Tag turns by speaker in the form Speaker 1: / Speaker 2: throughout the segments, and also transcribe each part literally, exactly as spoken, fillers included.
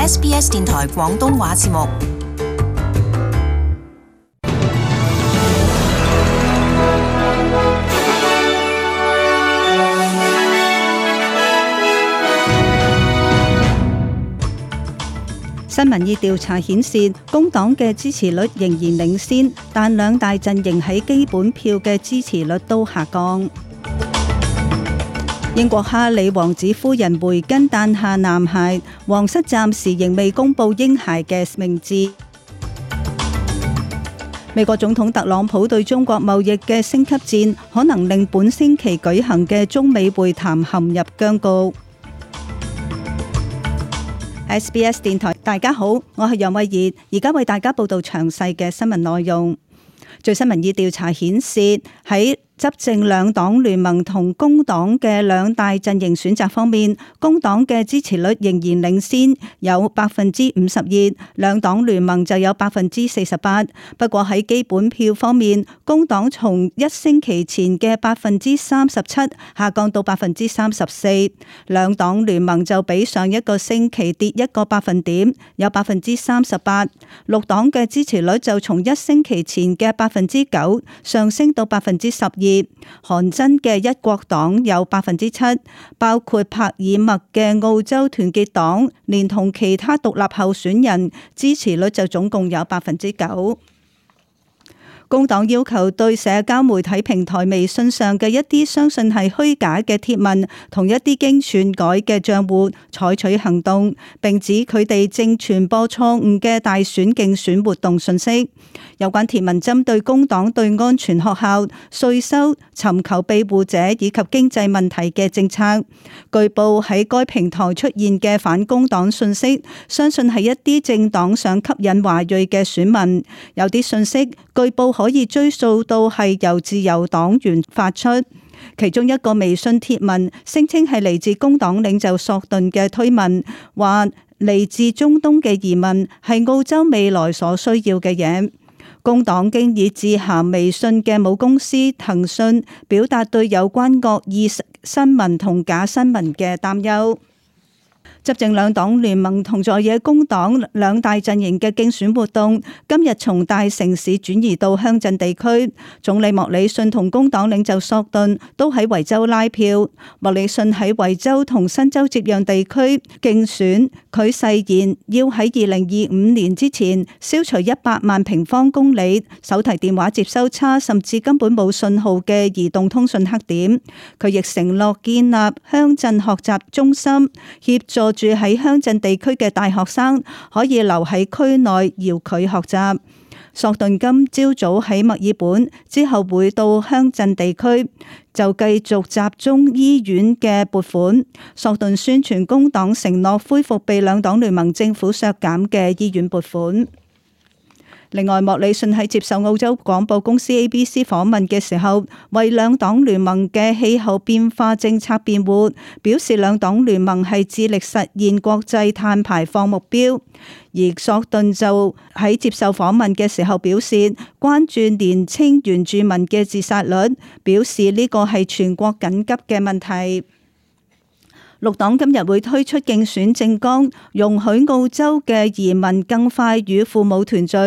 Speaker 1: S B S 電台廣東話節目。
Speaker 2: 新民意調查顯示，工黨嘅支持率仍然領先，但兩大陣營喺基本票嘅支持率都下降。英國哈里王子夫人梅根誕下男孩，皇室暫時仍未公布嬰孩嘅名字。美國總統特朗普對中國貿易嘅升級戰，可能令本星期舉行嘅中美會談陷入僵局。S B S 電台，大家好，我係楊慧儀，而家為大家報道詳細嘅新聞內容。最新民意調查顯示，喺執政兩黨聯盟同工黨嘅兩大陣營選擇方面，工黨嘅支持率仍然領先，有百分之五十二，兩黨聯盟就有百分之四十八。不過喺基本票方面，工黨從一星期前嘅百分之三十七下降到百分之三十四，兩黨聯盟就比上一個星期跌一個百分點，有百分之三十八。綠黨嘅支持率就從一星期前嘅百分之九上升到百分之十二。韓真嘅一國黨有百分之七，包括帕爾默嘅澳洲團結黨，連同其他獨立候選人，支持率就總共有百分之九。工黨要求對社交媒體平台微信上嘅一啲相信係虛假嘅貼文同一啲經篡改嘅賬戶採取行動，並指佢哋正傳播錯誤嘅大選競選活動信息。有關貼文針對工黨對安全學校、稅收、尋求庇護者以及經濟問題嘅政策。據報喺該平台出現嘅反工黨信息，相信係一啲政黨想吸引華裔嘅選民。有啲信息據報可以追溯到係由自由黨員發出，其中一個微信貼文聲稱係嚟自工黨領袖索頓嘅推文，話嚟自中東嘅移民係澳洲未來所需要嘅嘢。工黨經已致函微信嘅母公司騰訊，表達對有關惡意新聞同假新聞嘅擔憂。執政兩黨聯盟同在野工黨兩大陣營嘅競選活動今日從大城市轉移到鄉鎮地區。總理莫里遜同工黨領袖索頓都喺維州拉票。莫里遜喺維州同新州接壤地區競選，佢誓言要喺二零二五年之前消除一百萬平方公里手提電話接收差甚至根本冇信號嘅移動通訊黑點。佢亦承諾建立鄉鎮學習中心，協助住喺鄉鎮地區嘅大學生可以留喺區內遙距學習。索頓今朝早喺墨爾本，之後會到鄉鎮地區，就繼續集中醫院嘅撥款。索頓宣傳工黨承諾恢復被兩黨聯盟政府削減嘅醫院撥款。另外，莫里遜喺接受澳洲廣播公司 A B C 訪問嘅時候，為兩黨聯盟嘅氣候變化政策辯護，表示兩黨聯盟係致力實現國際碳排放目標。而索頓就喺接受訪問嘅時候表示，關注年青原住民嘅自殺率，表示呢個係全國緊急嘅問題。綠黨今日會推出競選政綱，容許澳洲嘅移民更快與父母團聚。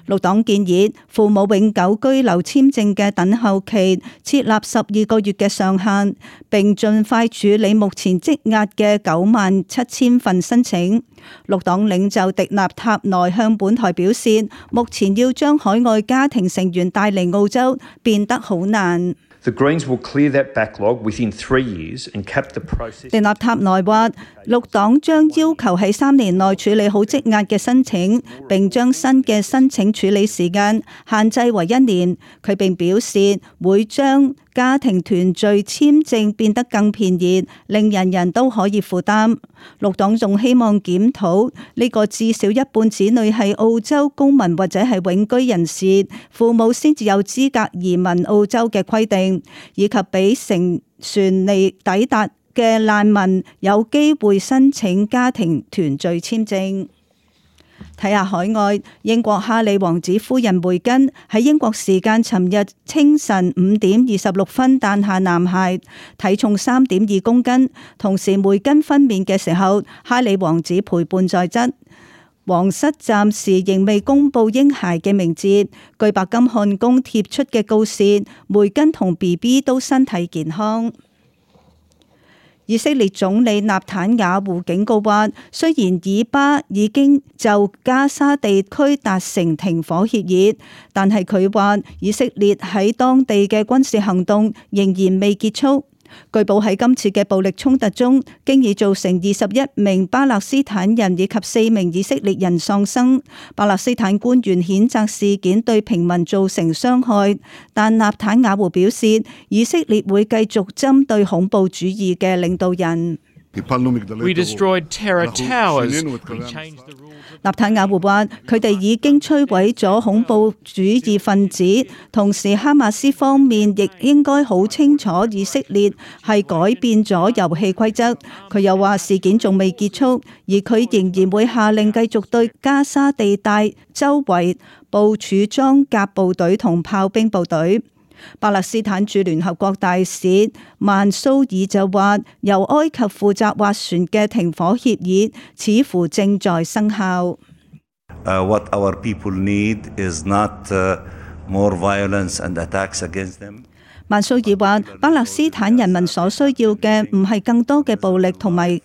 Speaker 2: 綠黨建議父母永久居留簽證嘅等候期設立十二個月嘅上限，並盡快處理目前積壓嘅九萬七千份申請。綠黨領袖迪納塔內向本台表示，目前要將海外家庭成員帶嚟澳洲變得好難。
Speaker 3: The Greens will clear that backlog within three years and cap the process.
Speaker 2: 迪納塔內話，綠黨將要求喺三年內處理好積壓嘅申請，並將新嘅申請處理時間限制為一年。佢並表示會將家庭團聚簽證變得更便宜，令人人都可以負擔。綠黨仲希望檢討呢個至少一半子女係澳洲公民或者係永居人士，父母先至有資格移民澳洲嘅規定，以及俾乘船嚟抵達嘅難民有機會申請家庭團聚簽證。睇下海外，英國哈里王子夫人梅根喺英國時間尋日清晨五點二十六分誕下男孩，體重三點二公斤。同時梅根分娩嘅時候，哈里王子陪伴在側。皇室暫時仍未公布嬰孩嘅名字。據白金漢宮貼出嘅告示，梅根同 B B 都身體健康。以色列總理納坦雅胡警告話，雖然以巴已經就加沙地區達成停火協議，但係佢話以色列喺當地嘅軍事行動仍然未結束。據報喺今次嘅暴力衝突中，經已造成二十一名巴勒斯坦人以及四名以色列人喪生。巴勒斯坦官員譴責事件對平民造成傷害，但納坦雅胡表示，以色列會繼續針對恐怖主義嘅領導人。
Speaker 4: We destroyed terror towers. We changed the rules.
Speaker 2: 納坦雅胡話：佢哋已經摧毀咗恐怖主義分子，同時哈馬斯方面亦應該好清楚以色列係改變咗遊戲規則。佢又話事件仲未結束，而佢仍然會下令繼續對加沙地帶周圍部署裝甲部隊同炮兵部隊。巴勒斯坦駐聯合國大使曼蘇爾就話，由埃及負責斡旋嘅停火協議似乎正在生效。
Speaker 5: Uh, what our people need is not uh, more violence and attacks against them.
Speaker 2: 曼蘇爾話，巴勒斯坦人民所需要嘅唔係更多嘅暴力同埋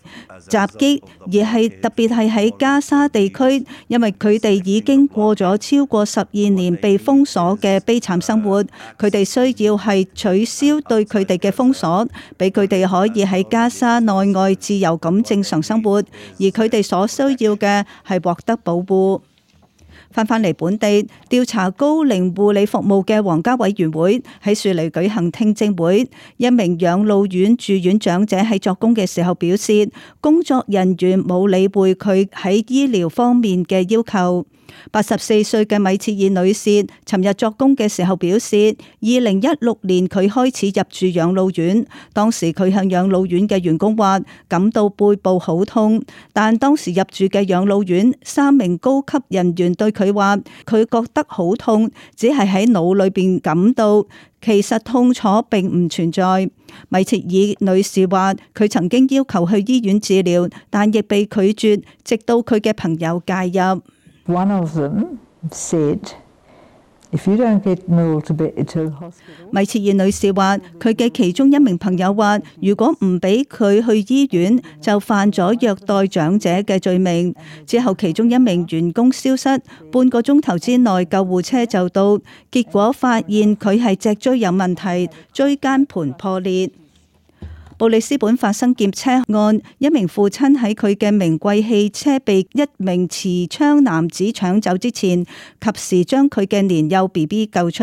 Speaker 2: 襲擊，而係特別係喺加沙地區，因為佢哋已經過咗超過十二年被封鎖嘅悲慘生活，佢哋需要係取消對佢哋嘅封鎖，俾佢哋可以喺加沙內外自由咁正常生活，而佢哋所需要嘅係獲得保護。翻返嚟本地，調查高齡護理服務嘅皇家委員會喺樹梨舉行聽證會。一名養老院住院長者喺作供嘅時候表示，工作人員冇理會佢喺醫療方面嘅要求。八十四歲嘅米切爾女士尋日作供嘅時候表示，二零一六年佢開始入住養老院，當時佢向養老院嘅員工話感到背部好痛，但當時入住嘅養老院三名高級人員對佢話佢覺得好痛，只係喺腦裏邊感到，其實痛楚並唔存在。米切爾女士話佢曾經要求去醫院治療，但亦被拒絕，直到佢嘅朋友介入。
Speaker 6: One of them said, if you don't get Noel to be to hospital.
Speaker 2: 米切爾女士話，佢嘅其中一名朋友話，如果唔俾佢去醫院，就犯咗虐待長者嘅罪名。之後其中一名員工消失，半個鐘頭之內救護車就到，結果發現佢係脊椎有問題，椎間盤破裂。布里斯本發生劫車案，一名父親喺佢嘅名貴汽車被一名持槍男子搶走之前，及時將佢嘅年幼 B B 救出。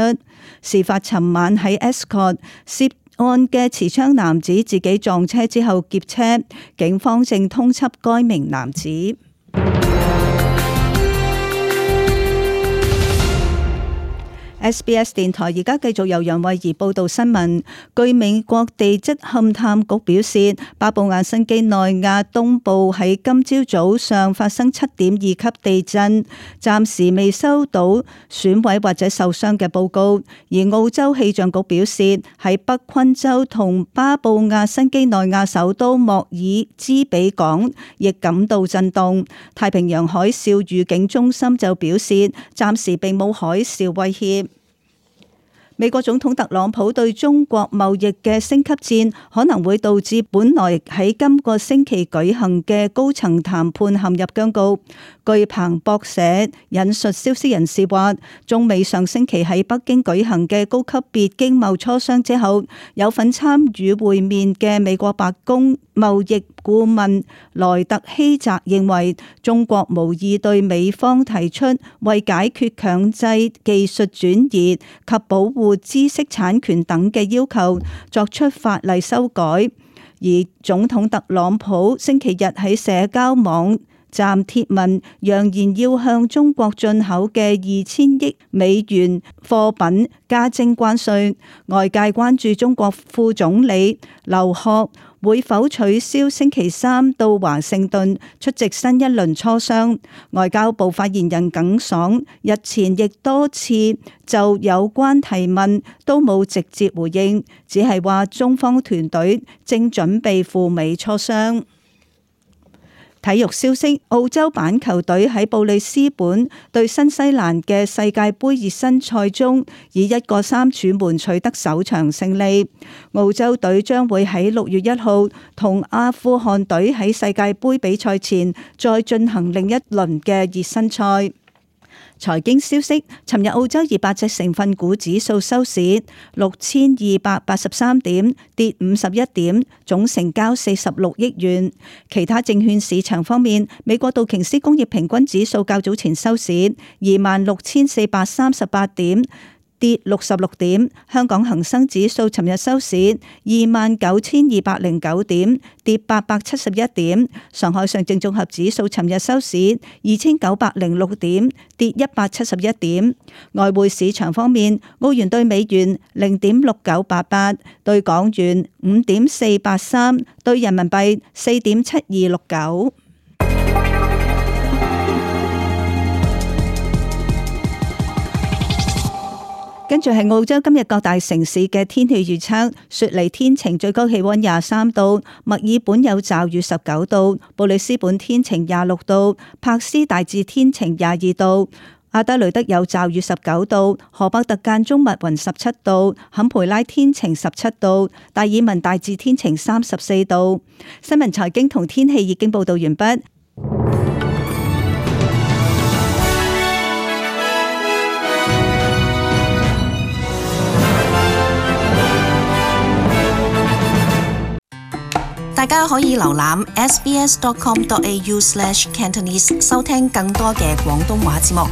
Speaker 2: 事發尋晚喺 Escott， 涉案嘅持槍男子自己撞車之後劫車，警方正通緝該名男子。S B S 電台而家繼續由楊慧儀報道新聞。據美國地質勘探局表示，巴布亞新畿內亞東部喺今朝早上發生七點二級地震，暫時未收到損毀或者受傷嘅報告。而澳洲氣象局表示，喺北昆州同巴布亞新畿內亞首都莫爾茲比港亦感到震動。太平洋海嘯預警中心就表示，暫時並冇海嘯威脅。美國總統特朗普對中國貿易嘅升級戰可能會導致本來喺今個星期舉行嘅高層談判陷入僵局。據彭博社引述消息人士話，中美上星期喺北京舉行嘅高級別經貿磋商之後，有份參與會面嘅美國白宮貿易顧問萊特希澤認為，中國無意對美方提出為解決強制技術轉移及保護知識產權等嘅要求作出法例修改。而總統特朗普星期日喺社交網站貼文，揚言要向中國進口嘅二千億美元貨品加徵關稅。外界關注中國副總理劉鶴會否取消星期三到華盛頓出席新一輪磋商。外交部發言人耿爽日前亦多次就有關提問都冇直接回應，只係話中方團隊正準備赴美磋商。體育消息：澳洲板球隊喺布里斯本對新西蘭嘅世界盃熱身賽中，以一個三柱門取得首場勝利。澳洲隊將會喺六月一號同阿富汗隊喺世界盃比賽前再進行另一輪嘅熱身賽。財經消息：尋日澳洲二百隻成分股指數收市六千二百八十三點，跌五十一點，總成交四十六億元。其他證券市場方面，美國道瓊斯工業平均指數較早前收市二萬六千四百三十八點，跌六十六點。香港恒生指數尋日收市二萬九千二百零九點，跌八百七十一點。上海上證綜合指數尋日收市二千九百零六點，跌一百七十一點。外匯市場方面，澳元兌美元零點六九八八，兌港元五點四八三，兌人民幣四點七二六九。跟住係澳洲今日各大城市嘅天氣預測：雪梨天晴，最高氣溫廿三度；墨爾本有驟雨十九度；布里斯本天晴廿六度；柏斯大致天晴廿二度；阿德雷德有驟雨十九度；荷伯特間中密雲十七度；坎培拉天晴十七度；達爾文大致天晴三十四度。新聞財經同天氣已經報道完畢。
Speaker 1: 大家可以瀏覽 s b s dot com dot a u slash cantonese 收聽更多嘅廣東話節目。